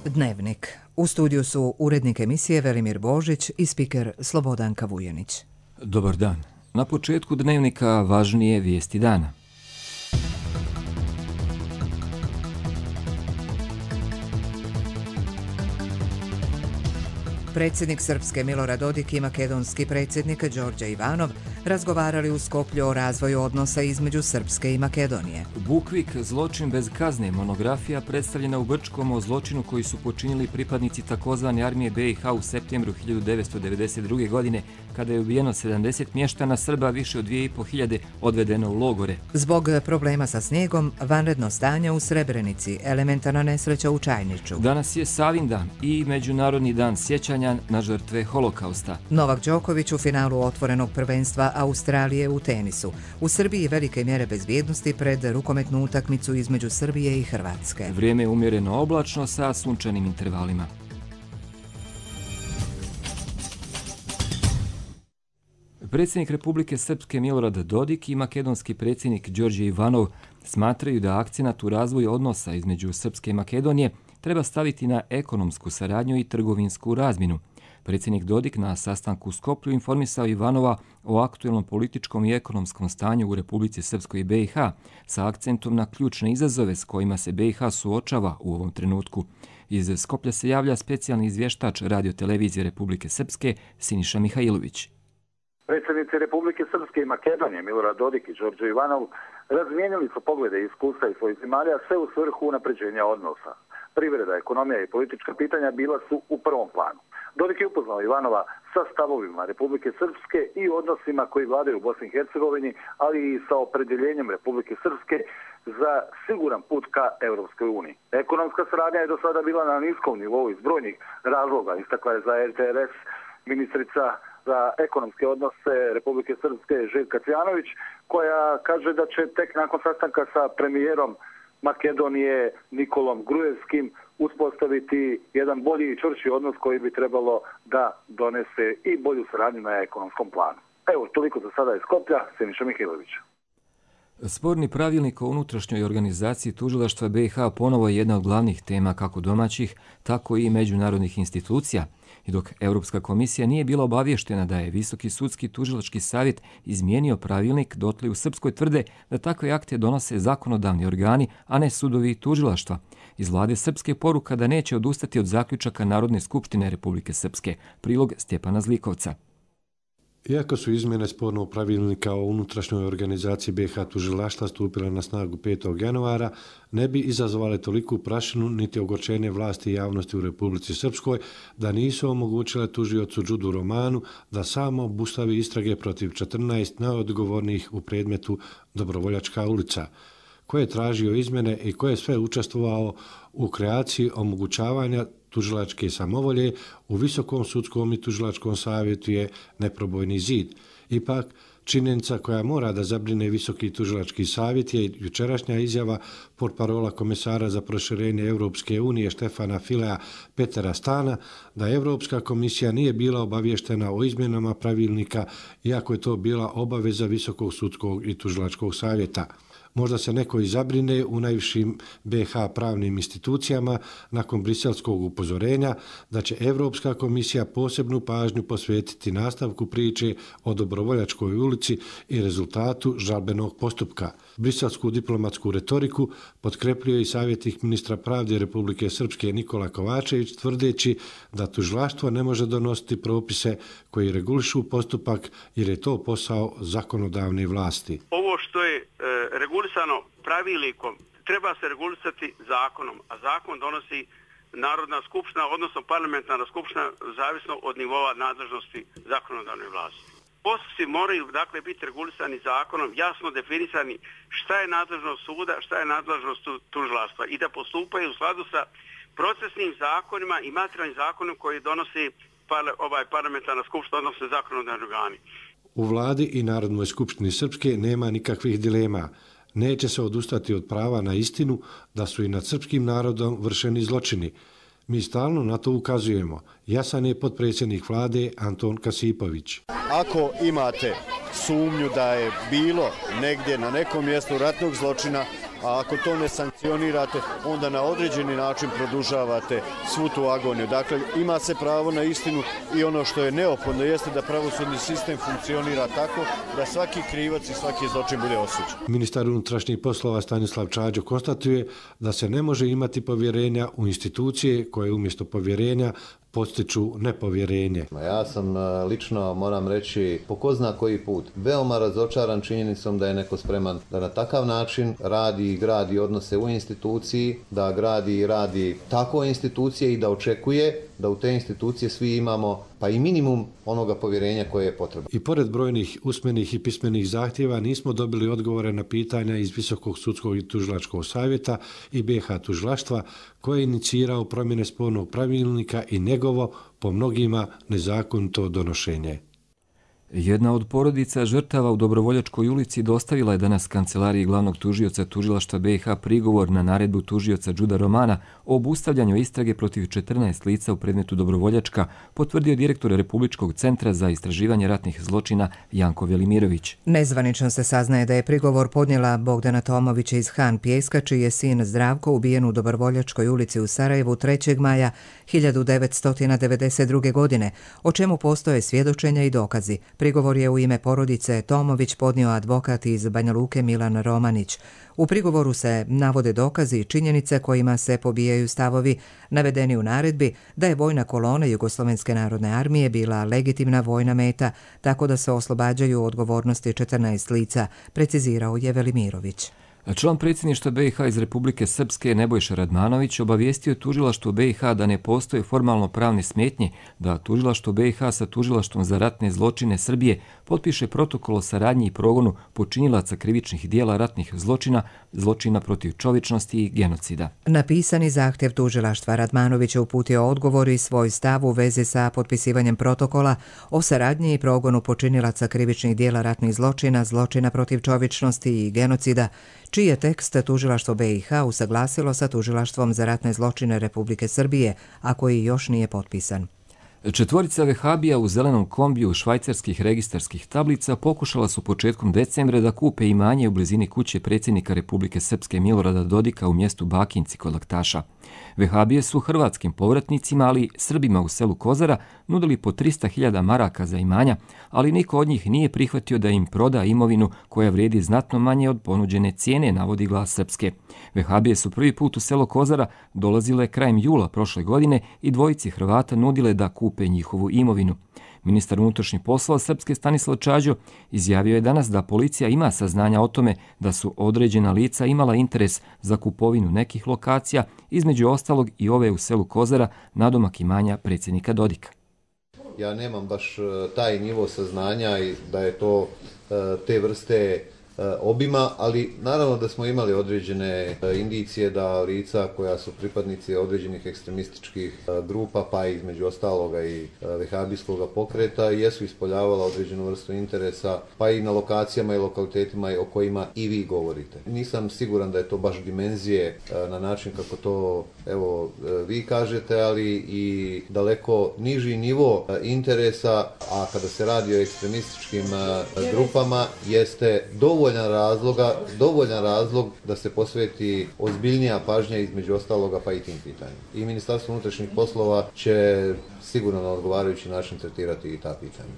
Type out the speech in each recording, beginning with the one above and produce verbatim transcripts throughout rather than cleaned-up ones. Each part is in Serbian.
Dnevnik. U studiju su urednik emisije Velimir Božić i spiker Slobodanka Vujenić. Dobar dan. Na početku Dnevnika važnije vijesti dana. Predsjednik Srpske Milorad Dodik i makedonski predsjednik Đorđe Ivanov razgovarali u Skoplju o razvoju odnosa između Srpske i Makedonije. Bukvik, zločin bez kazne, monografija predstavljena u Brčkom o zločinu koji su počinili pripadnici takozvane armije B i H u septembru hiljadu devetsto devedeset druge. godine, kada je ubijeno sedamdeset mještana Srba, više od dvije i po hiljade odvedeno u logore. Zbog problema sa snijegom, vanredno stanje u Srebrenici, elementarna nesreća u Čajniču. Danas je Savindan i Međunarodni dan sjećanja na žrtve holokausta. Novak Đoković u finalu otvorenog prvenstva Australije u tenisu. U Srbiji velike mjere bezbjednosti pred rukometnu utakmicu između Srbije i Hrvatske. Vrijeme je umjereno oblačno sa sunčanim intervalima. Predsjednik Republike Srpske Milorad Dodik i makedonski predsjednik Đorđe Ivanov smatraju da akcenat u razvoju odnosa između Srpske i Makedonije treba staviti na ekonomsku saradnju i trgovinsku razmjenu. Predsjednik Dodik na sastanku u Skoplju informisao Ivanova o aktuelnom političkom i ekonomskom stanju u Republici Srpskoj i B i H sa akcentom na ključne izazove s kojima se B i H suočava u ovom trenutku. Iz Skoplja se javlja specijalni izvještač Radio-televizije Republike Srpske Siniša Mihajlović. Predsjednici Republike Srpske i Makedonije Milorad Dodik i Đorđe Ivanov razmijenili su poglede i iskustva iz svojih zemalja, sve u svrhu unapređenja odnosa. Privreda, ekonomija i politička pitanja bila su u prvom planu. Dodik je upoznao Ivanova sa stavovima Republike Srpske i odnosima koji vladaju u Bosni i Hercegovini, ali i sa opredjeljenjem Republike Srpske za siguran put ka Europskoj uniji. Ekonomska saradnja je do sada bila na niskom nivou iz brojnih razloga, istakla je za R T R S ministrica za ekonomske odnose Republike Srpske Željka Cvjanović, koja kaže da će tek nakon sastanka sa premijerom Makedonije Nikolom Grujevskim uspostaviti jedan bolji i čvršći odnos koji bi trebalo da donese i bolju saradnju na ekonomskom planu. Evo, toliko za sada iz Skoplja, Siniša Mihajlović. Sporni pravilnik o unutrašnjoj organizaciji tužilaštva B i H ponovo je jedna od glavnih tema kako domaćih, tako i međunarodnih institucija. I dok Europska komisija nije bila obavještena da je Visoki sudski tužilački savjet izmijenio pravilnik, dotle u Srpskoj tvrde da takve akte donose zakonodavni organi, a ne sudovi i tužilaštva. Iz vlade Srpske poruka da neće odustati od zaključaka Narodne skupštine Republike Srpske. Prilog Stjepana Zlikovca. Iako su izmjene spornog pravilnika o unutrašnjoj organizaciji B i H tužilaštva stupile na snagu petog januara, ne bi izazvale toliku prašinu niti ogorčenje vlasti i javnosti u Republici Srpskoj da nisu omogućile tužiocu Đudu Romanu da samo obustavi istrage protiv četrnaest najodgovornijih u predmetu Dobrovoljačka ulica, koje je tražio izmjene i koje je sve učestvovao u kreaciji omogućavanja tužilačke samovolje u Visokom sudskom i tužilačkom savjetu je neprobojni zid. Ipak, činjenica koja mora da zabrine Visoki tužilački savjet je jučerašnja izjava portparola komesara za proširenje Europske unije Štefana Filea Petera Stana da Europska komisija nije bila obavještena o izmjenama pravilnika, iako je to bila obaveza Visokog sudskog i tužilačkog savjeta. Možda se neko i zabrine u najvišim B i H pravnim institucijama nakon briselskog upozorenja da će Evropska komisija posebnu pažnju posvetiti nastavku priče o Dobrovoljačkoj ulici i rezultatu žalbenog postupka. Briselsku diplomatsku retoriku potkrepljuje i savjetnik ministra pravde Republike Srpske Nikola Kovačević, tvrdeći da tužilaštvo ne može donositi propise koji regulišu postupak jer je to posao zakonodavne vlasti. Ovo što je e, regulisano pravilnikom treba se regulisati zakonom, a zakon donosi Narodna skupština, odnosno parlamentarna skupština, zavisno od nivoa nadležnosti zakonodavne vlasti. Postupci moraju dakle biti regulisani zakonom, jasno definisani šta je nadležnost suda, šta je nadležnost tužilaštva i da postupaju u skladu sa procesnim zakonima i materijalnim zakonom koji donosi par, ovaj parlamentarna skupština, odnosno zakonodavni organi. U vladi i Narodnoj skupštini Srpske nema nikakvih dilema. Neće se odustati od prava na istinu da su i nad srpskim narodom vršeni zločini. Mi stalno na to ukazujemo. Jasan je potpredsjednik vlade Anton Kasipović. Ako imate sumnju da je bilo negdje na nekom mjestu ratnog zločina, a ako to ne sankcionirate, onda na određeni način produžavate svu tu agoniju. Dakle, ima se pravo na istinu i ono što je neophodno jeste da pravosudni sistem funkcionira tako da svaki krivac i svaki zločin bude osuđen. Ministar unutrašnjih poslova Stanislav Čađo konstatuje da se ne može imati povjerenja u institucije koje umjesto povjerenja postiču nepovjerenje. Ja sam lično, moram reći, po ko zna koji put, veoma razočaran činjenicom da je neko spreman da na takav način radi i gradi odnose u instituciji, da gradi i radi tako institucije i da očekuje da u te institucije svi imamo pa i minimum onoga povjerenja koje je potrebno. I pored brojnih usmenih i pismenih zahtjeva nismo dobili odgovore na pitanja iz Visokog sudskog i tužilačkog savjeta i B H tužilaštva koje je inicirao promjene spornog pravilnika i njegovo, po mnogima, nezakonito donošenje. Jedna od porodica žrtava u Dobrovoljačkoj ulici dostavila je danas kancelariji glavnog tužioca tužilaštva B i H prigovor na naredbu tužioca Đuda Romana o obustavljanju istrage protiv četrnaest lica u predmetu Dobrovoljačka, potvrdio direktor Republičkog centra za istraživanje ratnih zločina Janko Velimirović. Nezvanično se saznaje da je prigovor podnijela Bogdana Tomovića iz Han Pijeska, čiji je sin Zdravko ubijen u Dobrovoljačkoj ulici u Sarajevu trećeg maja hiljadu devetsto devedeset druge. godine, o čemu postoje svjedočenja i dokazi. Prigovor je u ime porodice Tomović podnio advokat iz Banja Luke Milan Romanić. U prigovoru se navode dokazi i činjenice kojima se pobijaju stavovi navedeni u naredbi da je vojna kolona Jugoslovenske narodne armije bila legitimna vojna meta, tako da se oslobađaju odgovornosti četrnaest lica, precizirao je Velimirović. Član predsjedništva B i H iz Republike Srpske Nebojša Radmanović obavijestio tužilaštvo B i H da ne postoje formalno pravne smetnje da tužilaštvo B i H sa tužilaštvom za ratne zločine Srbije potpiše protokol o saradnji i progonu počinilaca krivičnih dijela ratnih zločina, zločina protiv čovječnosti i genocida. Napisani zahtjev tužilaštva Radmanović je uputio odgovor i svoj stav u vezi sa potpisivanjem protokola o saradnji i progonu počinilaca krivičnih dijela ratnih zločina, zločina protiv čovječnosti i genocida, čiji je tekst tužilaštvo B i H usaglasilo sa tužilaštvom za ratne zločine Republike Srbije, a koji još nije potpisan. Četvorica vehabija u zelenom kombiju švajcarskih registarskih tablica pokušala su početkom decembra da kupe imanje u blizini kuće predsjednika Republike Srpske Milorada Dodika u mjestu Bakinci kod Laktaša. Vehabije su hrvatskim povratnicima, ali Srbima u selu Kozara nudili po trista hiljada maraka za imanja, ali niko od njih nije prihvatio da im proda imovinu koja vrijedi znatno manje od ponuđene cijene, navodi Glas Srpske. Vehabije su prvi put u selo Kozara dolazile krajem jula prošle godine i dvojici Hrvata nudile da kupe njihovu imovinu. Ministar unutrašnjih poslova Srpske Stanislav Čađo izjavio je danas da policija ima saznanja o tome da su određena lica imala interes za kupovinu nekih lokacija, između ostalog i ove u selu Kozara, nadomak imanja predsjednika Dodika. Ja nemam baš taj nivo saznanja i da je to te vrste obima, ali naravno da smo imali određene indicije da lica koja su pripadnici određenih ekstremističkih grupa, pa između ostaloga i vehabijskog pokreta, jesu ispoljavali određenu vrstu interesa, pa i na lokacijama i lokalitetima o kojima i vi govorite. Nisam siguran da je to baš dimenzije na način kako to evo vi kažete, ali i daleko niži nivo interesa, a kada se radi o ekstremističkim grupama, jeste dovoljno Dovoljan razloga, dovoljan razlog da se posveti ozbiljnija pažnja između ostaloga pa i tim pitanjima. I Ministarstvo unutrašnjih poslova će sigurno na odgovarajući način tretirati i ta pitanja.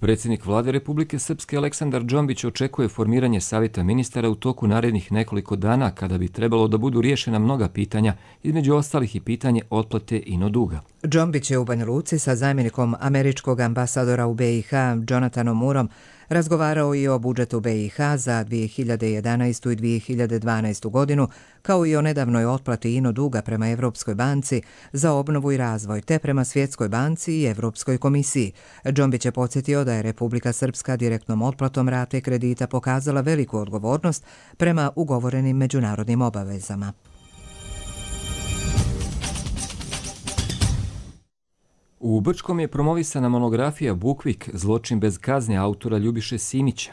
Predsjednik Vlade Republike Srpske Aleksandar Džombić očekuje formiranje savjeta ministara u toku narednih nekoliko dana kada bi trebalo da budu riješena mnoga pitanja, između ostalih i pitanje otplate ino duga. Džombić je u Banja Luci sa zamjenikom američkog ambasadora u B i H Jonathanom Moorom razgovarao i o budžetu B i H za dvije hiljade jedanaestu i dvije hiljade dvanaestu. godinu, kao i o nedavnoj otplati ino duga prema Evropskoj banci za obnovu i razvoj, te prema Svjetskoj banci i Evropskoj komisiji. Džombić je podsjetio da je Republika Srpska direktnom otplatom rate kredita pokazala veliku odgovornost prema ugovorenim međunarodnim obavezama. U Brčkom je promovisana monografija Bukvik, zločin bez kazne autora Ljubiše Simića.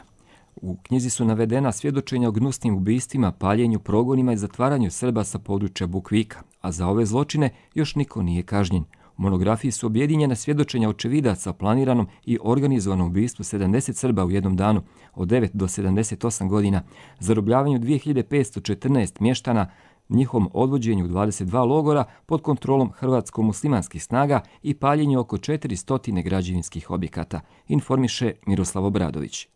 U knjizi su navedena svjedočenja o gnusnim ubistvima, paljenju, progonima i zatvaranju Srba sa područja Bukvika, a za ove zločine još niko nije kažnjen. U monografiji su objedinjena svjedočenja očevidaca o planiranom i organizovanom ubistvu sedamdeset Srba u jednom danu od devet do sedamdeset osam godina, zarobljavanju dvije hiljade petsto četrnaest mještana, njihovom odvođenju u dvadeset dva logora pod kontrolom hrvatsko-muslimanskih snaga i paljenju oko četiristo građevinskih objekata, informiše Miroslav Obradović.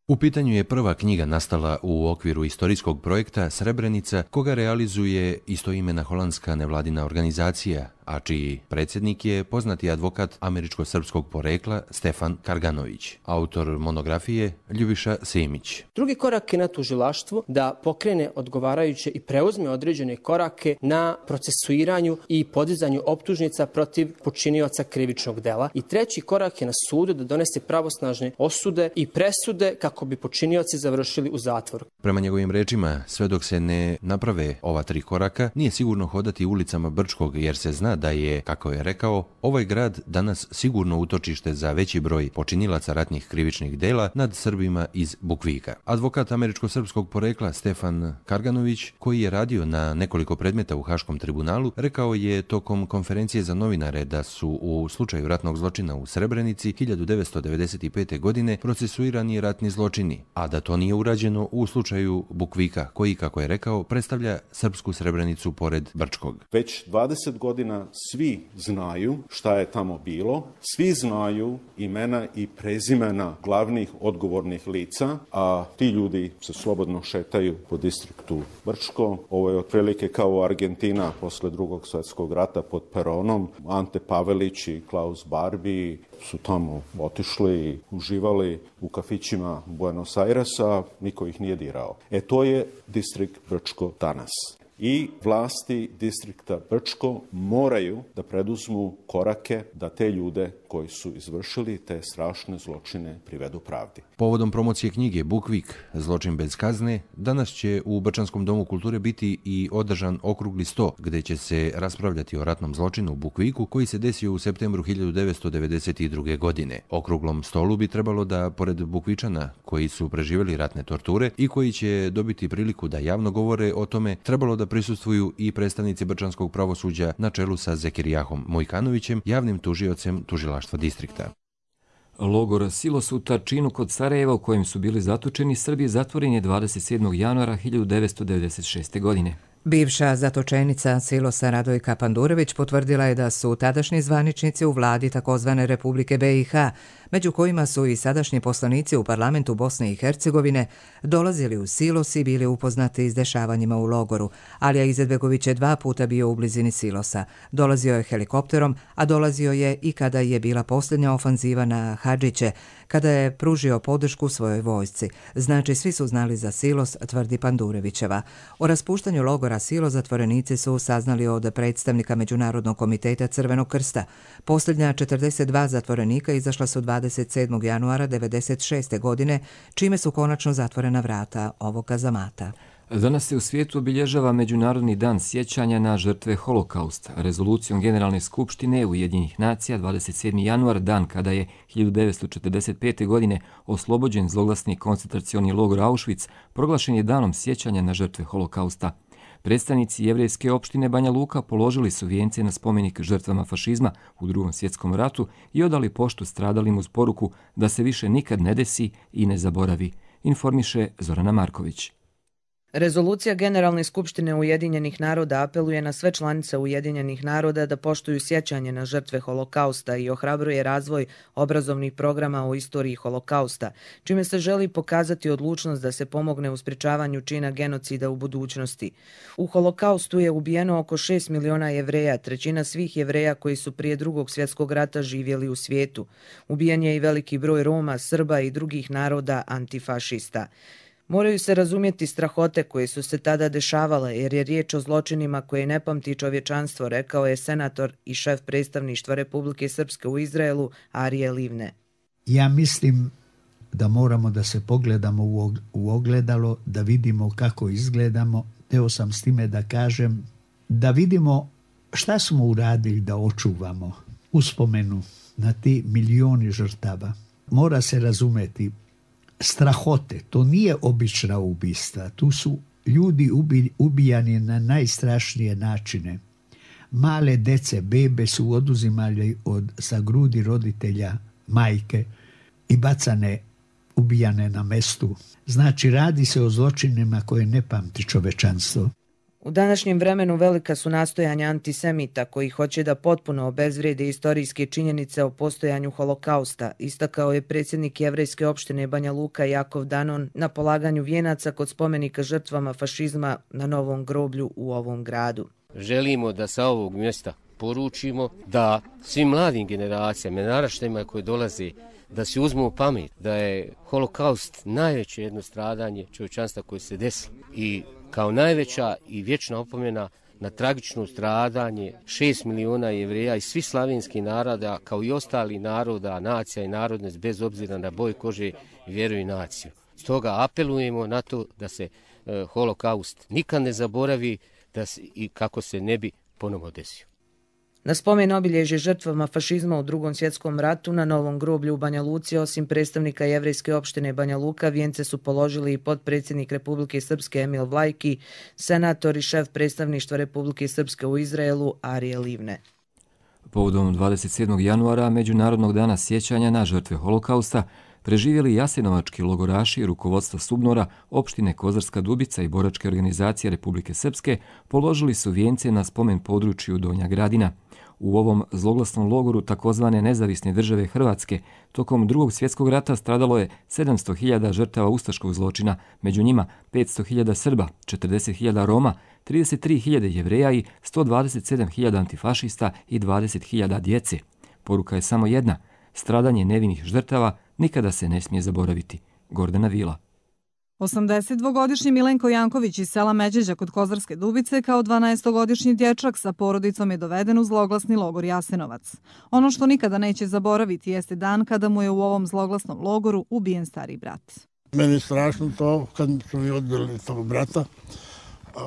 U pitanju je prva knjiga nastala u okviru istorijskog projekta Srebrenica, koga realizuje istoimena holandska nevladina organizacija, a čiji predsjednik je poznati advokat američko-srpskog porekla Stefan Karganović. Autor monografije Ljubiša Semić. Drugi korak je na tužilaštvu da pokrene odgovarajuće i preuzme određene korake na procesuiranju i podizanju optužnica protiv počinioca krivičnog dela. I treći korak je na sudu da donese pravosnažne osude i presude kako bi počinioci završili u zatvoru. Prema njegovim rečima, sve dok se ne naprave ova tri koraka, nije sigurno hodati ulicama Brčkog, jer se zna da je, kako je rekao, ovaj grad danas sigurno utočište za veći broj počinilaca ratnih krivičnih dela nad Srbima iz Bukvika. Advokat američko-srpskog porekla Stefan Karganović, koji je radio na nekoliko predmeta u Haškom tribunalu, rekao je tokom konferencije za novinare da su u slučaju ratnog zločina u Srebrenici hiljadu devetsto devedeset pete. godine procesuirani ratni zločini, a da to nije urađeno u slučaju Bukvika, koji, kako je rekao, predstavlja srpsku Srebrenicu pored Brčkog. Već dvadeset godina svi znaju šta je tamo bilo, svi znaju imena i prezimena glavnih odgovornih lica, a ti ljudi se slobodno šetaju po distriktu Brčko. Ovo je otprilike kao Argentina posle drugog svjetskog rata pod Peronom. Ante Pavelić i Klaus Barbie su tamo otišli i uživali u kafićima Buenos Airesa, niko ih nije dirao. E to je distrikt Brčko danas. I vlasti distrikta Brčko moraju da preduzmu korake da te ljude koji su izvršili te strašne zločine privedu pravdi. Povodom promocije knjige Bukvik, zločin bez kazne, danas će u Brčanskom domu kulture biti i održan okrugli sto, gde će se raspravljati o ratnom zločinu u Bukviku koji se desio u septembru hiljadu devetsto devedeset druge. godine. Okruglom stolu bi trebalo da, pored Bukvičana koji su preživjeli ratne torture i koji će dobiti priliku da javno govore o tome, trebalo da prisustvuju i predstavnici brčanskog pravosuđa na čelu sa Zekirijahom Mojkanovićem, javnim tužiocem tužilaštva distrikta. Logor Silos u Tarčinu kod Sarajeva, u kojem su bili zatočeni Srbi, zatvoren je dvadeset sedmog januara hiljadu devetsto devedeset šeste. godine. Bivša zatočenica Silosa Radojka Pandurević potvrdila je da su tadašnji zvaničnici u vladi takozvane Republike be i ha, među kojima su i sadašnji poslanici u parlamentu Bosne i Hercegovine, dolazili u Silos i bili upoznati s dešavanjima u logoru. Alija Izetbegović je dva puta bio u blizini Silosa. Dolazio je helikopterom, a dolazio je i kada je bila posljednja ofanziva na Hadžiće, kada je pružio podršku svojoj vojsci. Znači, svi su znali za Silos, tvrdi Pandurevićeva. O raspuštanju logora Silos zatvorenici su saznali od predstavnika Međunarodnog komiteta Crvenog krsta. Posljednja četrdeset dva zatvorenika izašla su dvadeset sedmog januara devedeset šeste. godine, čime su konačno zatvorena vrata ovog kazamata. Danas se u svijetu obilježava Međunarodni dan sjećanja na žrtve Holokausta. Rezolucijom Generalne skupštine Ujedinjenih nacija dvadeset sedmi januar, dan kada je hiljadu devetsto četrdeset pete. godine oslobođen zloglasni koncentracioni logor Auschwitz, proglašen je danom sjećanja na žrtve Holokausta. Predstavnici jevrejske opštine Banja Luka položili su vijence na spomenik žrtvama fašizma u Drugom svjetskom ratu i odali poštu stradalim uz poruku da se više nikad ne desi i ne zaboravi, informiše Zorana Marković. Rezolucija Generalne skupštine Ujedinjenih naroda apeluje na sve članice Ujedinjenih naroda da poštuju sjećanje na žrtve Holokausta i ohrabruje razvoj obrazovnih programa o istoriji Holokausta, čime se želi pokazati odlučnost da se pomogne u sprječavanju čina genocida u budućnosti. U Holokaustu je ubijeno oko šest miliona Jevreja, trećina svih Jevreja koji su prije Drugog svjetskog rata živjeli u svijetu. Ubijen je i veliki broj Roma, Srba i drugih naroda antifašista. Moraju se razumjeti strahote koje su se tada dešavale, jer je riječ o zločinima koje ne pamti čovječanstvo, rekao je senator i šef predstavništva Republike Srpske u Izraelu, Arije Livne. Ja mislim da moramo da se pogledamo u ogledalo, da vidimo kako izgledamo. Teo sam s time da kažem, da vidimo šta smo uradili da očuvamo uspomenu na ti milioni žrtava. Mora se razumjeti strahote, to nije obična ubistva, tu su ljudi ubi, ubijani na najstrašnije načine. Male dece, bebe su oduzimali od, sa grudi roditelja majke i bacane, ubijane na mestu. Znači, radi se o zločinima koje ne pamti čovečanstvo. U današnjem vremenu velika su nastojanja antisemita koji hoće da potpuno obezvrijede istorijske činjenice o postojanju holokausta, istakao je predsjednik Jevrejske opštine Banja Luka Jakov Danon na polaganju vijenaca kod spomenika žrtvama fašizma na Novom groblju u ovom gradu. Želimo da sa ovog mjesta poručimo da svim mladim generacijama, naraštajima koji dolaze, da se uzmu u pamet da je holokaust najveće jedno stradanje čovječanstva koje se desilo i kao najveća i vječna opomena na tragično stradanje šest miliona Jevreja i svih slavenskih naroda, kao i ostali naroda, nacija i narodnost, bez obzira na boj kože, vjeru i naciju. Stoga apelujemo na to da se e, holokaust nikad ne zaboravi da se, i kako se ne bi ponovo desio. Na spomen obilježje žrtvama fašizma u Drugom svjetskom ratu na Novom groblju u Banja Luci, osim predstavnika Jevrejske opštine Banja Luka, vijence su položili i potpredsjednik Republike Srpske Emil Vlajki, senator i šef predstavništva Republike Srpske u Izraelu Arije Livne. Povodom dvadeset sedmog januara, Međunarodnog dana sjećanja na žrtve holokausta, preživjeli jasenovački logoraši i rukovodstvo Subnora, opštine Kozarska Dubica i boračke organizacije Republike Srpske položili su vijence na spomen području Donja Gradina. U ovom zloglasnom logoru takozvane nezavisne države Hrvatske tokom Drugog svjetskog rata stradalo je sedamsto hiljada žrtava ustaškog zločina, među njima petsto hiljada Srba, četrdeset hiljada Roma, trideset tri hiljade Jevreja i sto dvadeset sedam hiljada antifašista i dvadeset hiljada djece. Poruka je samo jedna: stradanje nevinih žrtava nikada se ne smije zaboraviti. Gordana Vila. osamdesetdvogodišnji Milenko Janković iz sela Međeđa kod Kozarske Dubice kao dvanaestogodišnji dječak sa porodicom je doveden u zloglasni logor Jasenovac. Ono što nikada neće zaboraviti jeste dan kada mu je u ovom zloglasnom logoru ubijen stari brat. Meni je strašno to kad su mi odbili tog brata,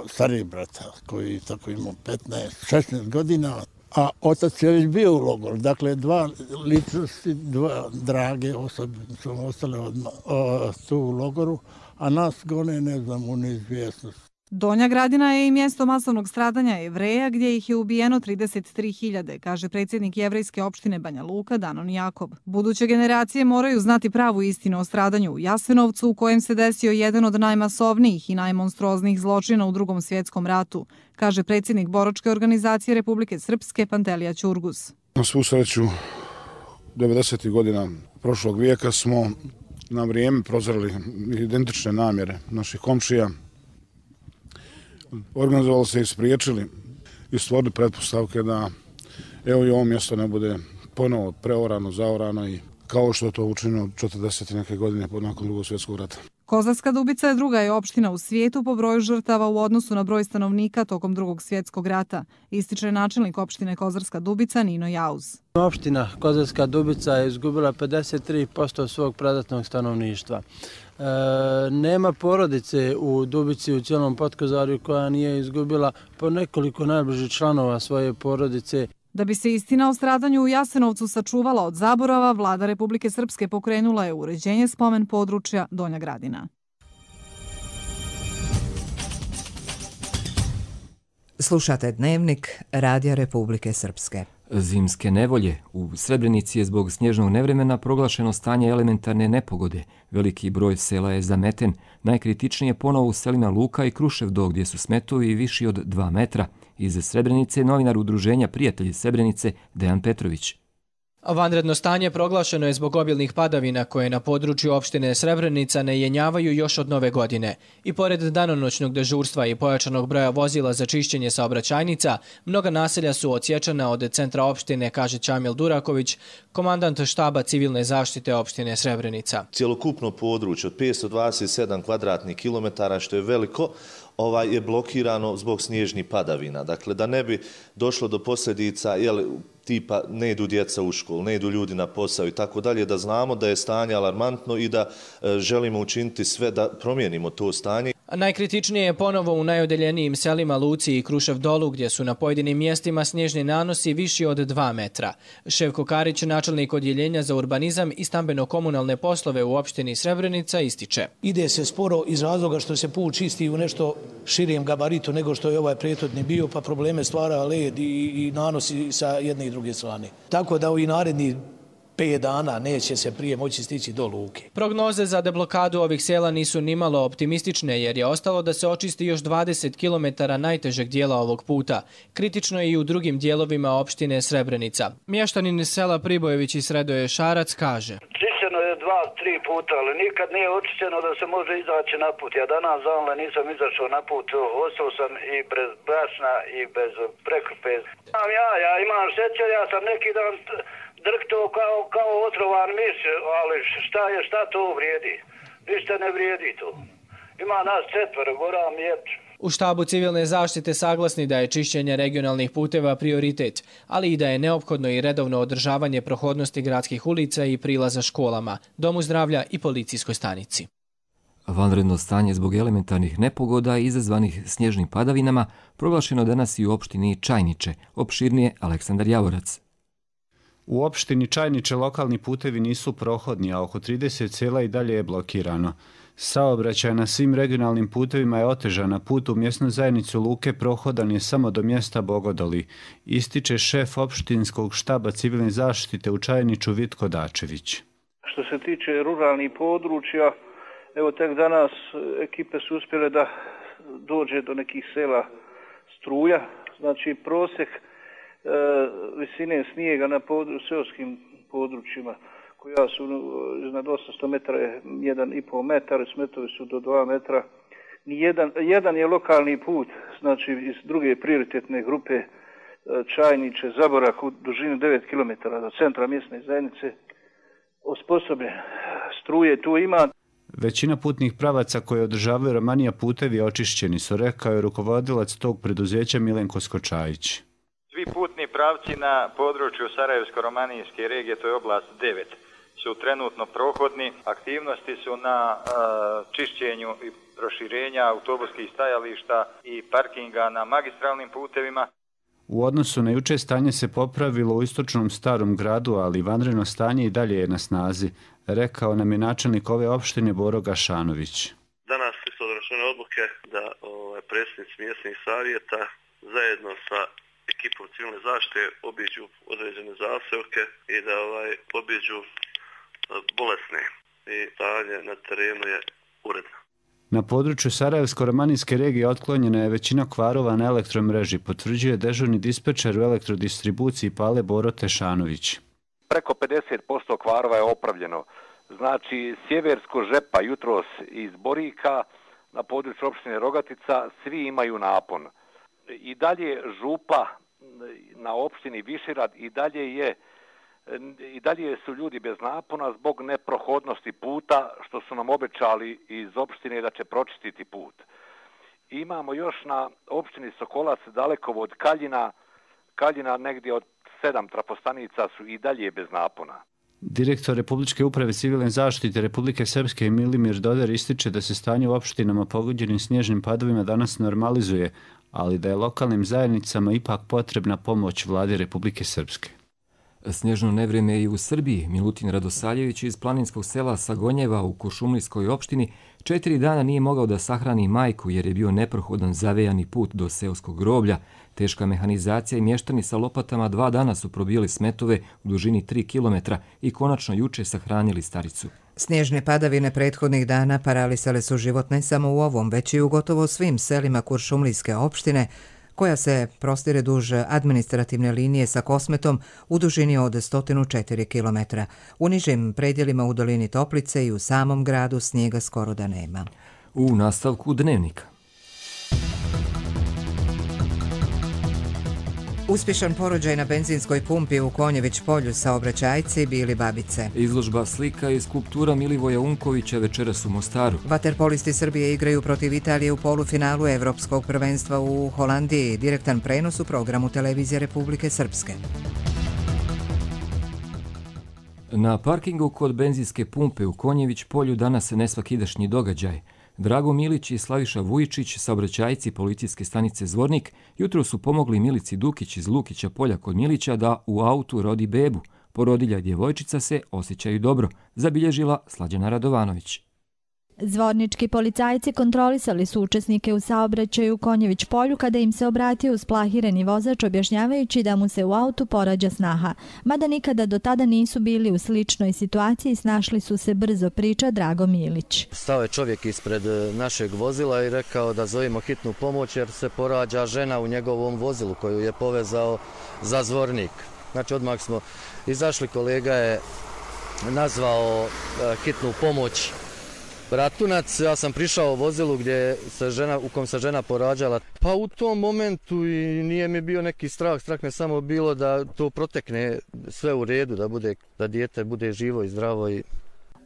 stariji brata koji tako imao petnaest šesnaest godina, a otac je već bio u logoru. Dakle, dva ličnosti, dva drage osobe su ostale odmah, o, tu u logoru, a nas gone, ne znam, u neizvjesnost. Donja Gradina je i mjesto masovnog stradanja Jevreja gdje ih je ubijeno trideset tri hiljade, kaže predsjednik Jevrejske opštine Banja Luka Danon Jakov. Buduće generacije moraju znati pravu istinu o stradanju u Jasenovcu, u kojem se desio jedan od najmasovnijih i najmonstruoznijih zločina u Drugom svjetskom ratu, kaže predsjednik boračke organizacije Republike Srpske Pantelija Ćurgus. Na svu sreću devedesetih godina prošlog vijeka smo na vrijeme prozreli identične namjere naših komšija, organizovali se i spriječili i stvorili pretpostavke da evo i ovo mjesto ne bude ponovo preorano, zaorano i kao što je to učinilo četrdeset neke godine nakon Drugog svjetskog rata. Kozarska Dubica je druga je opština u svijetu po broju žrtava u odnosu na broj stanovnika tokom Drugog svjetskog rata, ističe načelnik opštine Kozarska Dubica Nino Jauz. Opština Kozarska Dubica je izgubila pedeset tri posto svog predatnog stanovništva. E, nema porodice u Dubici u cijelom Potkozarju koja nije izgubila po nekoliko najbližih članova svoje porodice. Da bi se istina o stradanju u Jasenovcu sačuvala od zaborava, vlada Republike Srpske pokrenula je uređenje spomen područja Donja Gradina. Slušate Dnevnik Radija Republike Srpske. Zimske nevolje. U Srebrenici je zbog snježnog nevremena proglašeno stanje elementarne nepogode. Veliki broj sela je zameten. Najkritičnije ponovo u selima Luka i Kruševdo, gdje su smetovi viši od dva metra. Iz Srebrenice novinar udruženja Prijatelji Srebrenice Dejan Petrović. Vanredno stanje proglašeno je zbog obilnih padavina koje na području opštine Srebrenica ne jenjavaju još od nove godine. I pored danonoćnog dežurstva i pojačanog broja vozila za čišćenje saobraćajnica, mnoga naselja su odsječana od centra opštine, kaže Čamil Duraković, komandant štaba civilne zaštite opštine Srebrenica. Cijelokupno područje od petsto dvadeset sedam kvadratnih kilometara, što je veliko, ovaj je blokirano zbog snježnih padavina. Dakle, da ne bi došlo do posljedica, jel, tipa ne idu djeca u školu, ne idu ljudi na posao i tako dalje, da znamo da je stanje alarmantno i da e, želimo učiniti sve da promijenimo to stanje. Najkritičnije je ponovo u najodeljenijim selima Luci i Krušev dolu, gdje su na pojedinim mjestima snježni nanosi viši od dva metra. Ševko Karić, načelnik odjeljenja za urbanizam i stambeno-komunalne poslove u opštini Srebrenica, ističe. Ide se sporo iz razloga što se put čisti u nešto širijem gabaritu nego što je ovaj prethodni bio, pa probleme stvara led i, i nanosi sa jedne i druge strane. Tako da u i naredni pet dana neće se prije moći stići do luke. Prognoze za deblokadu ovih sela nisu nimalo optimistične, jer je ostalo da se očisti još dvadeset kilometara najtežeg dijela ovog puta. Kritično je i u drugim dijelovima opštine Srebrenica. Mještanin iz sela Pribojević i Sredoje Šarac kaže: Čišćeno je dva, tri puta, ali nikad nije očišćeno da se može izaći na put. Ja danas zamle nisam izašao na put, ostao sam i bez brašna i bez prekrpe. Ja, ja imam šećer, ja sam neki dan drkto kao, kao otrovan miš, ali šta je, šta to vrijedi? Ništa ne vrijedi to. Ima nas četvr, goram jeć. U štabu civilne zaštite saglasni da je čišćenje regionalnih puteva prioritet, ali i da je neophodno i redovno održavanje prohodnosti gradskih ulica i prilaza školama, domu zdravlja i policijskoj stanici. Vanredno stanje zbog elementarnih nepogoda izazvanih snježnim padavinama proglašeno danas i u opštini Čajniče, opširnije Aleksandar Javorac. U opštini Čajniče lokalni putevi nisu prohodni, a oko trideset sela i dalje je blokirano. Saobraćaj na svim regionalnim putevima je otežan, a put u mjesnu zajednicu Luke prohodan je samo do mjesta Bogodoli, ističe šef opštinskog štaba civilne zaštite u Čajniču Vitko Dačević. Što se tiče ruralnih područja, evo tek danas ekipe su uspjele da dođe do nekih sela struja, znači prosjek e, visine snijega na podru, seoskim područjima koja su iznad osamsto metara je jedan i pol metar, smetovi su do dva metra. Jedan, jedan je lokalni put, znači iz druge prioritetne grupe Čajniče, Zaborak u dužini devet kilometara do centra mjesne zajednice, osposobljen struje tu ima. Većina putnih pravaca koje održavaju Romanija putevi očišćeni su, rekao je rukovodilac tog preduzeća Milenko Skočajić. Svi putni pravci na području Sarajevsko-romanijske regije, to je oblast devet, su trenutno prohodni. Aktivnosti su na uh, čišćenju i proširenja autobuskih stajališta i parkinga na magistralnim putevima. U odnosu na juče stanje se popravilo u istočnom Starom gradu, ali vanredno stanje i dalje je na snazi, rekao nam je načelnik ove opštine Boro Gašanović. Danas su donošene odluke da ovaj, predsjednici mjesnih savjeta zajedno sa ekipom civilne zaštite obiđu određene zaseoke i da ovaj, obiđu bolesne. I stanje na terenu je uredno. Na području Sarajevsko-romanijske regije otklonjena je većina kvarova na elektromreži, potvrđuje dežurni dispečer u elektrodistribuciji Pale Boro Tešanović. Preko pedeset posto kvarova je opravljeno. Znači, sjeversko žepa jutros iz Borika na području opštine Rogatica svi imaju napon. I dalje župa na opštini Viširad i dalje je i dalje su ljudi bez napona zbog neprohodnosti puta, što su nam obećali iz opštine da će pročistiti put. Imamo još na opštini Sokolac daleko od Kaljina, Kaljina negdje od sedam trafostanica su i dalje bez napona. Direktor Republičke uprave civilne zaštite Republike Srpske Milimir Dodar ističe da se stanje u opštinama pogođenim snježnim padovima danas normalizuje, ali da je lokalnim zajednicama ipak potrebna pomoć vlade Republike Srpske. Snježno nevrijeme je i u Srbiji. Milutin Radosaljević iz planinskog sela Sagonjeva u Kuršumlijskoj opštini četiri dana nije mogao da sahrani majku jer je bio neprohodan zavejani put do seoskog groblja. Teška mehanizacija i mještani sa lopatama dva dana su probijali smetove u dužini tri kilometra i konačno juče sahranili staricu. Snježne padavine prethodnih dana paralisale su život ne samo u ovom, već i u gotovo svim selima Kuršumlijske opštine, koja se prostire duž administrativne linije sa Kosmetom u dužini od sto četiri kilometra. U nižim predjelima u dolini Toplice i u samom gradu snijega skoro da nema. U nastavku Dnevnika. Uspješan porođaj na benzinskoj pumpi u Konjević polju saobraćajci bili babice. Izložba slika i skulptura Milivoja Unkovića večeras u Mostaru. Vaterpolisti Srbije igraju protiv Italije u polufinalu Evropskog prvenstva u Holandiji. Direktan prenos u programu Televizije Republike Srpske. Na parkingu kod benzinske pumpe u Konjević polju danas nesvakidašnji događaj. Drago Milić i Slaviša Vujičić, saobraćajci policijske stanice Zvornik, jutro su pomogli Milici Dukić iz Lukića polja kod Milića da u autu rodi bebu. Porodilja i djevojčica se osjećaju dobro, zabilježila Slađana Radovanović. Zvornički policajci kontrolisali su učesnike u saobraćaju u Konjević polju kada im se obratio usplahireni vozač objašnjavajući da mu se u autu porađa snaha. Mada nikada do tada nisu bili u sličnoj situaciji, snašli su se brzo, priča Drago Milić. Stao je čovjek ispred našeg vozila i rekao da zovemo hitnu pomoć jer se porađa žena u njegovom vozilu koju je povezao za Zvornik. Znači odmah smo izašli, kolega je nazvao hitnu pomoć Ratunac, ja sam prišao u vozilu gdje se žena, u kom se žena porađala. Pa u tom momentu i nije mi bio neki strah, strah me samo bilo da to protekne sve u redu, da bude, da dijete bude živo i zdravo. I...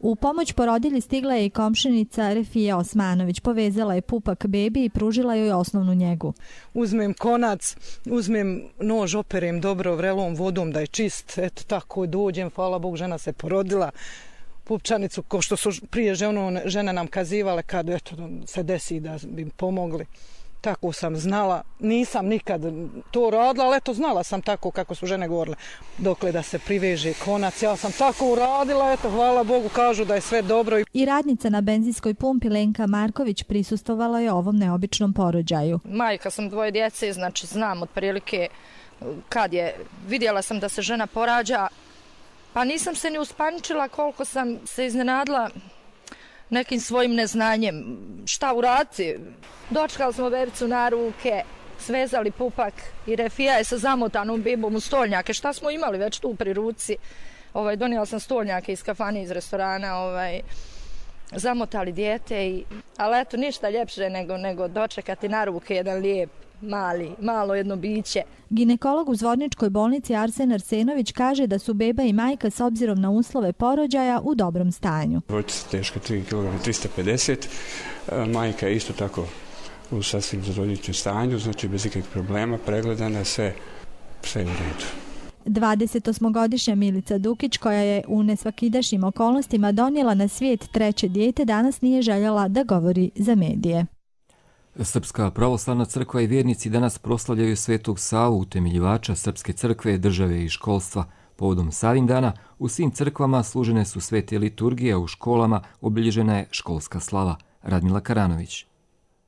U pomoć porodilji stigla je i komšinica Refija Osmanović, povezala je pupak bebi i pružila joj osnovnu njegu. Uzmem konac, uzmem nož, operem dobro vrelom vodom da je čist, eto tako dođem, hvala Bog, žena se porodila. Pupčanicu, ko što su prije žene, žene nam kazivale kad eto, se desi da bi im pomogli. Tako sam znala, nisam nikad to radila, ali eto znala sam tako kako su žene govorile. Dokle da se priveže konac, ja sam tako uradila, eto hvala Bogu, kažu da je sve dobro. I radnica na benzinskoj pumpi Lenka Marković prisustovala je ovom neobičnom porođaju. Majka sam dvoje djece, znači znam otprilike kad je, vidjela sam da se žena porađa. Pa nisam se ni uspaničila koliko sam se iznenadila nekim svojim neznanjem. Šta uraditi? Dočekali smo bebicu na ruke, svezali pupak i Refija je sa zamotanom bebom u stolnjake. Šta smo imali već tu pri ruci? Ovaj, donijela sam stolnjake iz kafane, iz restorana, ovaj, zamotali dijete. I, ali eto, ništa ljepše nego, nego dočekati na ruke jedan lijep, mali, malo jedno biće. Ginekolog u Zvorničkoj bolnici Arsen Arsenović kaže da su beba i majka s obzirom na uslove porođaja u dobrom stanju. Dvojčica teška tri kilograma trista pedeset, majka je isto tako u sasvim zadovoljavajućem stanju, znači bez ikakvih problema, pregledana, sve, sve u redu. dvadesetosmogodišnja Milica Dukić, koja je u nesvakidašnjim okolnostima donijela na svijet treće dijete, danas nije željela da govori za medije. Srpska pravoslavna crkva i vjernici danas proslavljaju Svetog Savu, utemeljivača Srpske crkve, države i školstva. Povodom Savindana u svim crkvama služene su svete liturgije, a u školama obilježena je školska slava. Radmila Karanović.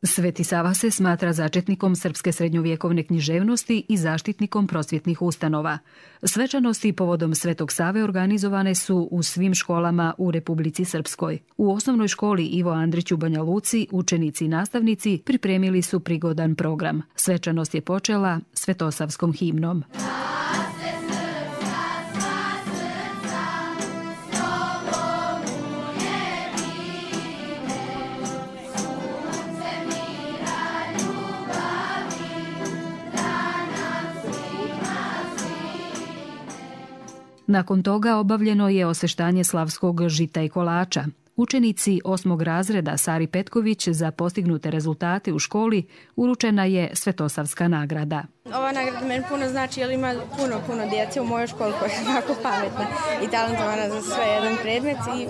Sveti Sava se smatra začetnikom srpske srednjovjekovne književnosti i zaštitnikom prosvjetnih ustanova. Svečanosti povodom Svetog Save organizovane su u svim školama u Republici Srpskoj. U osnovnoj školi Ivo Andrić u Banja Luci učenici i nastavnici pripremili su prigodan program. Svečanost je počela svetosavskom himnom. Nakon toga obavljeno je osveštanje slavskog žita i kolača. Učenici osmog razreda Sari Petković za postignute rezultate u školi uručena je Svetosavska nagrada. Ova nagrada meni puno znači jer ima puno, puno djece u mojoj školi koja je jako pametna i talentovana za sve jedan predmet. I...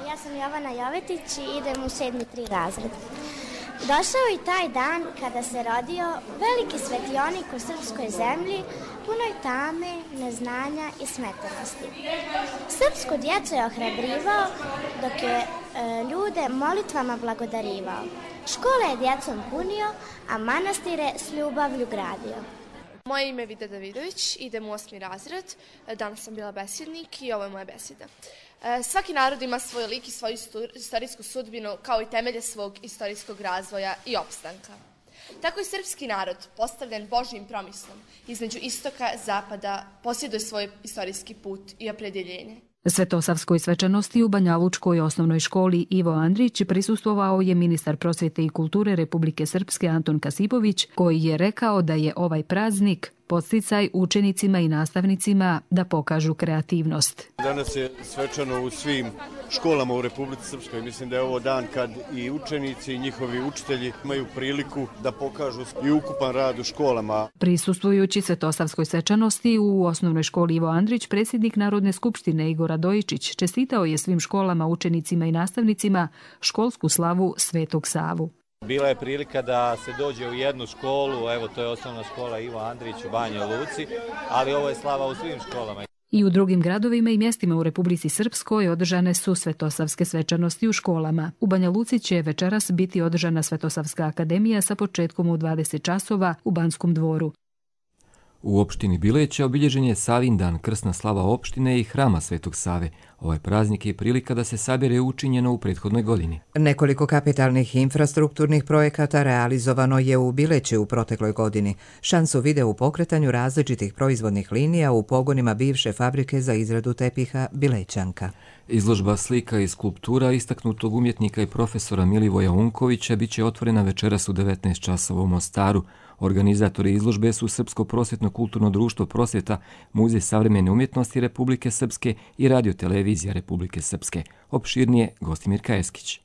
Ja sam Jovana Jovetić i idem u sedmi tri razred. Došao i taj dan kada se rodio veliki svetionik u srpskoj zemlji, punoj tame, neznanja i smetenosti. Srpsku djecu je ohrabrivao, dok je e, ljude molitvama blagodarivao. Škole je djecom punio, a manastire s ljubavlju gradio. Moje ime je Vida Davidović, idem u osmi razred, danas sam bila besjednik i ovo je moja besjeda. Svaki narod ima svoj lik i svoju istorijsku sudbinu kao i temelje svog istorijskog razvoja i opstanka. Tako i srpski narod, postavljen Božjim promislom, između istoka i zapada, posjeduje svoj istorijski put i opredjeljenje. Svetosavskoj svečanosti u Banja Lučkoj osnovnoj školi Ivo Andrić prisustvovao je ministar prosvjete i kulture Republike Srpske Anton Kasipović, koji je rekao da je ovaj praznik podsticaj učenicima i nastavnicima da pokažu kreativnost. Danas je svečano u svim školama u Republici Srpskoj. Mislim da je ovo dan kad i učenici i njihovi učitelji imaju priliku da pokažu i ukupan rad u školama. Prisustvujući svetosavskoj svečanosti u osnovnoj školi Ivo Andrić, predsjednik Narodne skupštine Igor Radojičić čestitao je svim školama, učenicima i nastavnicima školsku slavu Svetog Savu. Bila je prilika da se dođe u jednu školu, evo to je osnovna škola Ivo Andrić u Banjoj Luci, ali ovo je slava u svim školama. I u drugim gradovima i mjestima u Republici Srpskoj održane su svetosavske svečanosti u školama. U Banja Luci će večeras biti održana Svetosavska akademija sa početkom u dvadeset časova u Banskom dvoru. U opštini Bileća obilježen je Savin dan, krsna slava opštine i hrama Svetog Save. Ovaj praznik je prilika da se sabere učinjeno u prethodnoj godini. Nekoliko kapitalnih infrastrukturnih projekata realizovano je u Bileći u protekloj godini. Šansu vide u pokretanju različitih proizvodnih linija u pogonima bivše fabrike za izradu tepiha Bilećanka. Izložba slika i skulptura istaknutog umjetnika i profesora Milivoja Unkovića biće otvorena večeras u devetnaest časova u Mostaru. Organizatori izložbe su Srpsko prosvjetno kulturno društvo Prosvjeta, Muzej savremene umjetnosti Republike Srpske i Radio-televizija Republike Srpske. Opširnije Gostimir Kajeskić.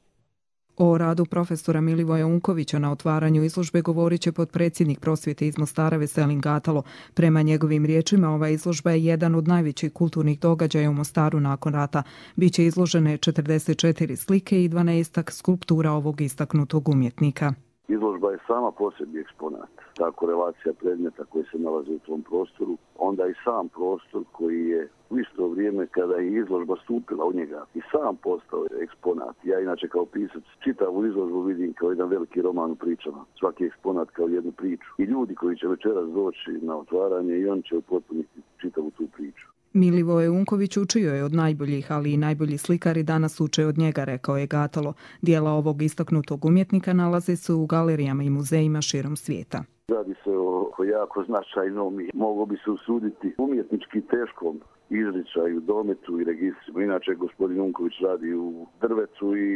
O radu profesora Milivoja Unkovića na otvaranju izložbe govorit će potpredsjednik prosvjete iz Mostara Veselin Gatalo. Prema njegovim riječima, ova izložba je jedan od najvećih kulturnih događaja u Mostaru nakon rata. Biće izložene četrdeset četiri slike i dvanaest skulptura ovog istaknutog umjetnika. Izložba je sama po sebi eksponat. Ta korelacija predmeta koji se nalaze u tom prostoru, onda i sam prostor koji je u isto vrijeme kada je izložba stupila u njega i sam postao eksponat. Ja inače kao pisac čitavu izložbu vidim kao jedan veliki roman u pričama. Svaki eksponat kao jednu priču. I ljudi koji će večeras doći na otvaranje i on će upotpuniti čitavu tu priču. Milivoje Unković učio je od najboljih, ali i najbolji slikari danas uče od njega, rekao je Gatalo. Dijela ovog istaknutog umjetnika nalaze se u galerijama i muzejima širom svijeta. Radi se o jako značajnom i mogo bi se usuditi umjetnički teškom izričaju, dometu i registrima. Inače, gospodin Unković radi u drvetu i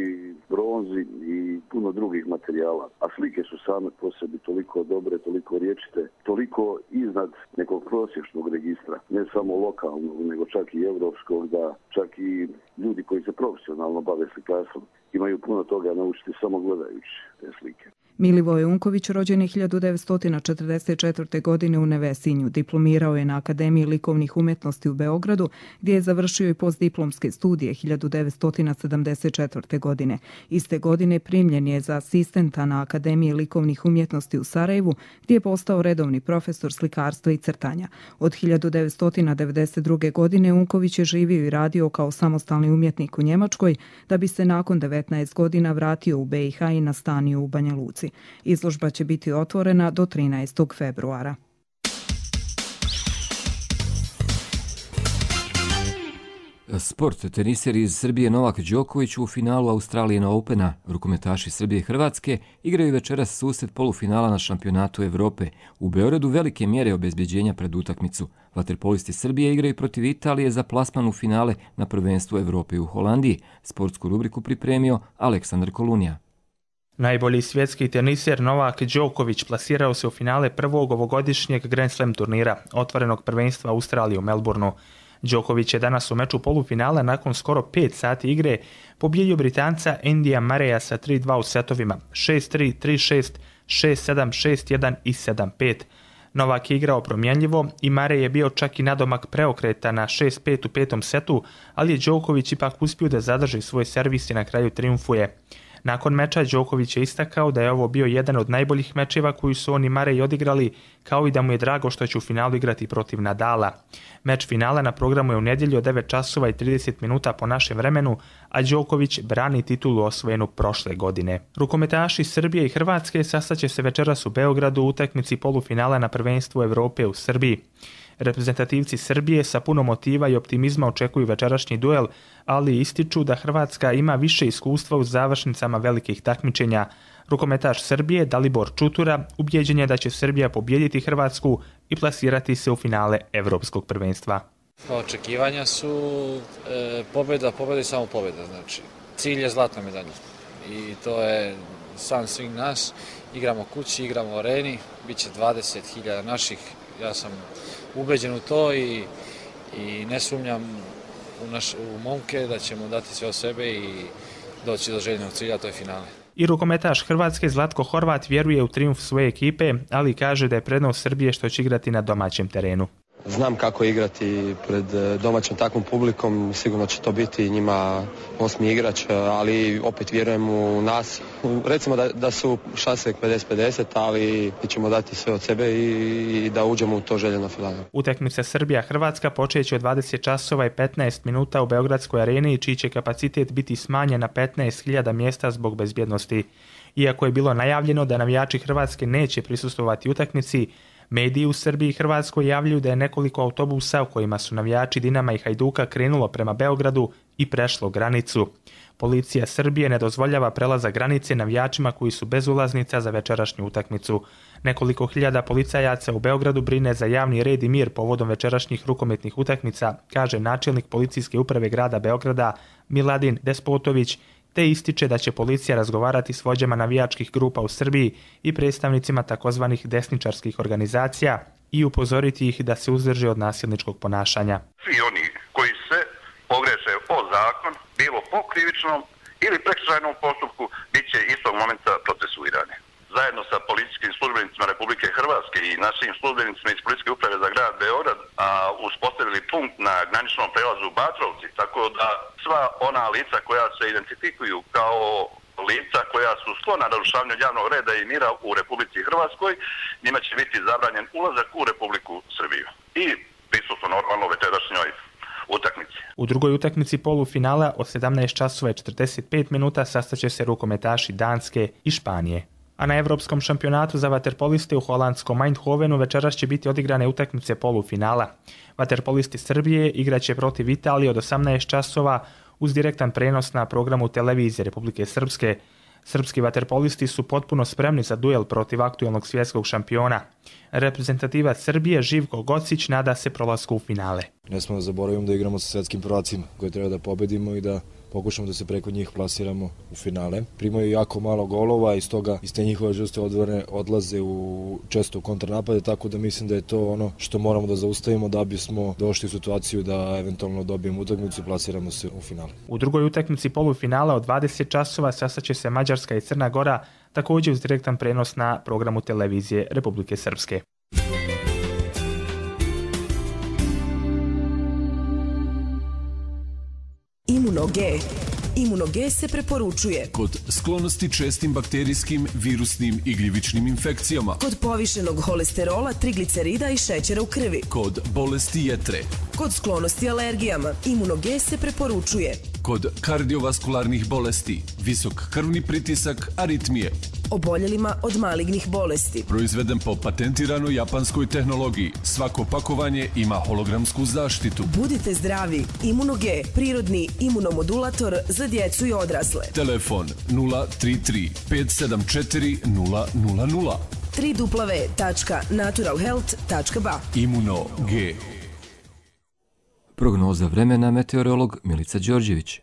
bronzi i puno drugih materijala. A slike su same po sebi toliko dobre, toliko riječite, toliko iznad nekog prosječnog registra. Ne samo lokalnog, nego čak i evropskog, da čak i ljudi koji se profesionalno bave slikarstvom imaju puno toga naučiti samo gledajući te slike. Milivoje Unković rođen je hiljadu devetsto četrdeset četvrte. godine u Nevesinju. Diplomirao je na Akademiji likovnih umjetnosti u Beogradu, gdje je završio i postdiplomske studije hiljadu devetsto sedamdeset četvrte. godine. Iste godine primljen je za asistenta na Akademiji likovnih umjetnosti u Sarajevu, gdje je postao redovni profesor slikarstva i crtanja. Od hiljadu devetsto devedeset druge. godine Unković je živio i radio kao samostalni umjetnik u Njemačkoj, da bi se nakon devetnaest godina vratio u B i H i nastanio u Banja Luci. Izložba će biti otvorena do trinaestog februara. Sport. Teniser iz Srbije Novak Đoković u finalu Australian Opena. Rukometaši Srbije i Hrvatske igraju večeras susret polufinala na šampionatu Evrope. U Beogradu velike mjere obezbeđenja pred utakmicu. Vaterpolisti Srbije igraju protiv Italije za plasman u finale na prvenstvu Evrope u Holandiji. Sportsku rubriku pripremio Aleksandar Kolunija. Najbolji svjetski teniser Novak Đoković plasirao se u finale prvog ovogodišnjeg Grand Slam turnira, otvorenog prvenstva Australije u Melbourneu. Đoković je danas u meču polufinala nakon skoro pet sati igre pobijedio Britanca Andyja Murraya sa tri dva u setovima šest tri, tri šest, šest sedam, šest jedan i sedam pet. Novak je igrao promjenljivo i Murray je bio čak i nadomak preokreta na šest pet u petom setu, ali je Đoković ipak uspio da zadrži svoj servis i na kraju triumfuje. Nakon meča Đoković je istakao da je ovo bio jedan od najboljih mečeva koju su on i Murray odigrali, kao i da mu je drago što će u finalu igrati protiv Nadala. Meč finala na programu je u nedjelju od devet časova i trideset minuta po našem vremenu, a Đoković brani titulu osvojenu prošle godine. Rukometaši Srbije i Hrvatske sastaće se večeras u Beogradu u utakmici polufinala na prvenstvu Evrope u Srbiji. Reprezentativci Srbije sa puno motiva i optimizma očekuju večerašnji duel, ali ističu da Hrvatska ima više iskustva u završnicama velikih takmičenja. Rukometaš Srbije Dalibor Čutura ubjeđen je da će Srbija pobijediti Hrvatsku i plasirati se u finale Evropskog prvenstva. Očekivanja su e, pobjeda, pobjeda i samo pobjeda. Znači, cilj je zlatna medalja i to je san svih nas. Igramo kući, igramo u areni, bit će dvadeset hiljada naših Ja sam ubeđen u to i, i ne sumnjam u, naš, u momke da ćemo dati sve od sebe i doći do željenog cilja, to je finale. I rukometaš Hrvatske Zlatko Horvat vjeruje u trijumf svoje ekipe, ali kaže da je prednost Srbije što će igrati na domaćem terenu. Znam kako igrati pred domaćom takvom publikom, sigurno će to biti njima osmi igrač, ali opet vjerujem u nas. Recimo da, da su šanse pedeset pedeset, ali ćemo dati sve od sebe i, i da uđemo u to željeno finale. Utakmica Srbija-Hrvatska počeće od dvadeset časova i petnaest minuta u Beogradskoj areni, čiji će kapacitet biti smanjen na petnaest hiljada mjesta zbog bezbjednosti. Iako je bilo najavljeno da navijači Hrvatske neće prisustvovati utakmici, mediji u Srbiji i Hrvatskoj javljaju da je nekoliko autobusa u kojima su navijači Dinama i Hajduka krenulo prema Beogradu i prešlo granicu. Policija Srbije ne dozvoljava prelazak granice navijačima koji su bez ulaznica za večerašnju utakmicu. Nekoliko hiljada policajaca u Beogradu brine za javni red i mir povodom večerašnjih rukometnih utakmica, kaže načelnik policijske uprave grada Beograda Miladin Despotović, te ističe da će policija razgovarati s vođama navijačkih grupa u Srbiji i predstavnicima takozvanih desničarskih organizacija i upozoriti ih da se uzdrže od nasilničkog ponašanja. Svi oni koji se pogreše o zakon, bilo po krivičnom ili prekršajnom postupku, bit će istog momenta procesuirani. Zajedno sa policijskim službenicima Republike Hrvatske i našim službenicima iz Policijske uprave za grad Beograd a, uspostavili punkt na graničnom prelazu Batrovci, tako da sva ona lica koja se identifikuju kao lica koja su sklona narušavanju javnog reda i mira u Republici Hrvatskoj, njima će biti zabranjen ulazak u Republiku Srbiju i prisustvo normalno večerašnjoj utakmici. U drugoj utakmici polufinala od sedamnaest časova i četrdeset pet minuta sastaće se rukometaši Danske i Španije. A na Evropskom šampionatu za vaterpoliste u holandskom Eindhovenu večeras će biti odigrane utakmice polufinala. Vaterpolisti Srbije igraće protiv Italije od osamnaest časova uz direktan prenos na programu televizije Republike Srpske. Srpski vaterpolisti su potpuno spremni za duel protiv aktuelnog svjetskog šampiona. Reprezentativac Srbije Živko Gocić nada se prolasku u finale. Ne smo da zaboravimo da igramo sa svjetskim prvacima koje treba da pobedimo i da pokušamo da se preko njih plasiramo u finale. Primaju jako malo golova i stoga iz te njihove žuste odbrane odlaze u često u kontranapade, tako da mislim da je to ono što moramo da zaustavimo da bismo došli u situaciju da eventualno dobijemo utakmicu i plasiramo se u finale. U drugoj utakmici polufinala od dvadeset časova sastaće se Mađarska i Crna Gora, također uz direktan prenos na programu televizije Republike Srpske. Imuno-G. Imuno-G se preporučuje kod sklonosti čestim bakterijskim, virusnim i gljivičnim infekcijama, kod povišenog holesterola, triglicerida i šećera u krvi, kod bolesti jetre, kod sklonosti alergijama. Imuno-G se preporučuje kod kardiovaskularnih bolesti, visok krvni pritisak, aritmije, oboljelima od malignih bolesti. Proizveden po patentiranoj japanskoj tehnologiji. Svako pakovanje ima hologramsku zaštitu. Budite zdravi. Imuno-G, prirodni imunomodulator za djecu i odrasle. Telefon nula tri tri pet sedam četiri nula nula nula. w w w tačka natural health tačka b a. Imuno-G. Prognoza vremena meteorolog Milica Đorđević.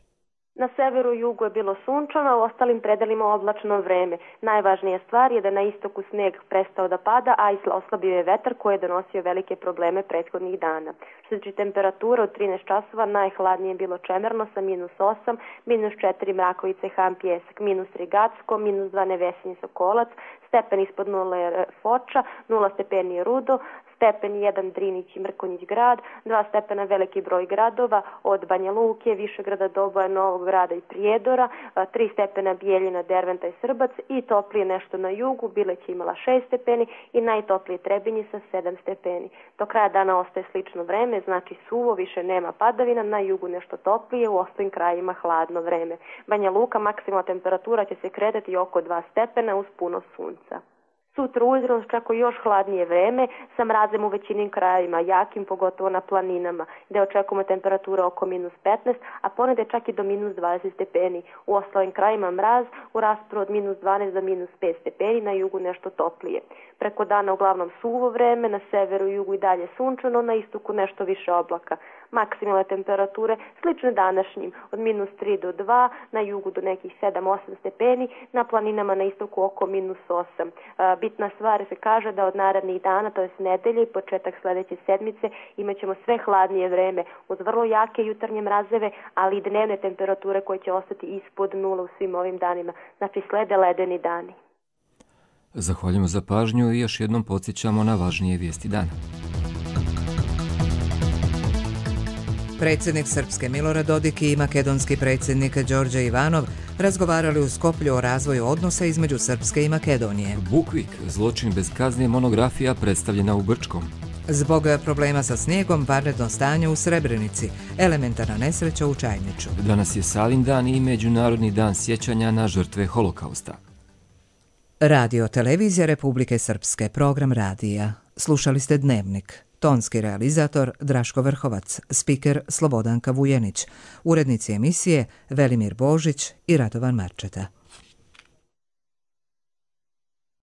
Na severu i jugu je bilo sunčano, a u ostalim predelima oblačno vreme. Najvažnija stvar je da na istoku sneg prestao da pada, a i oslabio je vetar koji je donosio velike probleme prethodnih dana. Što se tiče temperatura od trinaest časova, najhladnije je bilo Čemerno sa minus osam, minus četiri Mrakovice, Han Pjesak, minus tri Gacko, minus dva Nevesinje Sokolac, stepen ispod nula je Foča, nula stepeni je Rudo, stepen jedan Drinić i Mrkonjić grad, dva stepena veliki broj gradova od Banja Luke, Višegrada, Doboja, Novog Grada i Prijedora, tri stepena Bijeljina, Derventa i Srbac i toplije nešto na jugu, Bileć je imala šest stepeni i najtoplije Trebinje sa sedam stepeni. Do kraja dana ostaje slično vreme, znači suvo, više nema padavina, na jugu nešto toplije, u ostalim krajima hladno vreme. Banja Luka maksimalna temperatura će se kretati oko dva stepena uz puno sunca. Sutra ujutro čak još hladnije vreme sa mrazem u većinim krajevima, jakim pogotovo na planinama, gde očekujemo temperatura oko minus petnaest, a ponede čak i do minus dvadeset stepeni. U ostalim krajima mraz, u rasporu od minus dvanaest do minus pet stepeni, na jugu nešto toplije. Preko dana uglavnom suvo vreme, na severu i jugu i dalje sunčano, na istoku nešto više oblaka. Maksimalne temperature slične današnjim, od minus tri do dva, na jugu do nekih sedam osam stepeni, na planinama na istoku oko minus osam. Bitna stvar se kaže da od narednih dana, to je nedelje i početak sledeće sedmice, imat ćemo sve hladnije vreme uz vrlo jake jutarnje mrazeve, ali i dnevne temperature koje će ostati ispod nula u svim ovim danima. Znači slede ledeni dani. Zahvaljujemo za pažnju i još jednom podsjećamo na važnije vijesti dana. Predsjednik Srpske Milorad Dodik i makedonski predsjednik Đorđe Ivanov razgovarali u Skoplju o razvoju odnosa između Srpske i Makedonije. Bukvik, zločin bez kazne, monografija predstavljena u Brčkom. Zbog problema sa snijegom, vanredno stanje u Srebrenici, elementarna nesreća u Čajniču. Danas je Savin dan i Međunarodni dan sjećanja na žrtve Holokausta. Radio Televizija Republike Srpske, program radija. Slušali ste Dnevnik. Tonski realizator Draško Vrhovac, spiker Slobodanka Vujenić, urednici emisije Velimir Božić i Radovan Marčeta.